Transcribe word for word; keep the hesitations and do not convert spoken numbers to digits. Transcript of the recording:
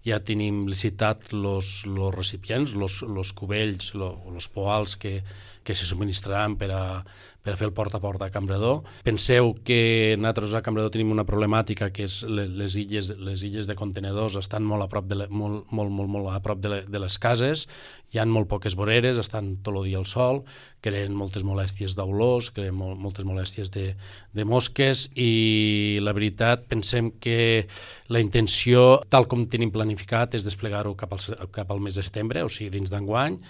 ja tenim licitat els recipients, els cubells, els poals que, que se subministraran per a, per a fer el porta a porta a Campredó. Penseu que nosaltres a Campredó tenim una problemàtica que és les illes, les illes de contenedors estan molt a prop de, molt, molt, molt, molt a prop de, le, de les cases, hi ha molt poques voreres, estan tot el dia al sol, creen moltes molèsties d'olors, creen molt, moltes molèsties de, de mosques i la veritat pensem que la intenció, tal com tenim planificat, és desplegar-ho cap al, cap al mes de setembre, o sigui, dins d'enguany,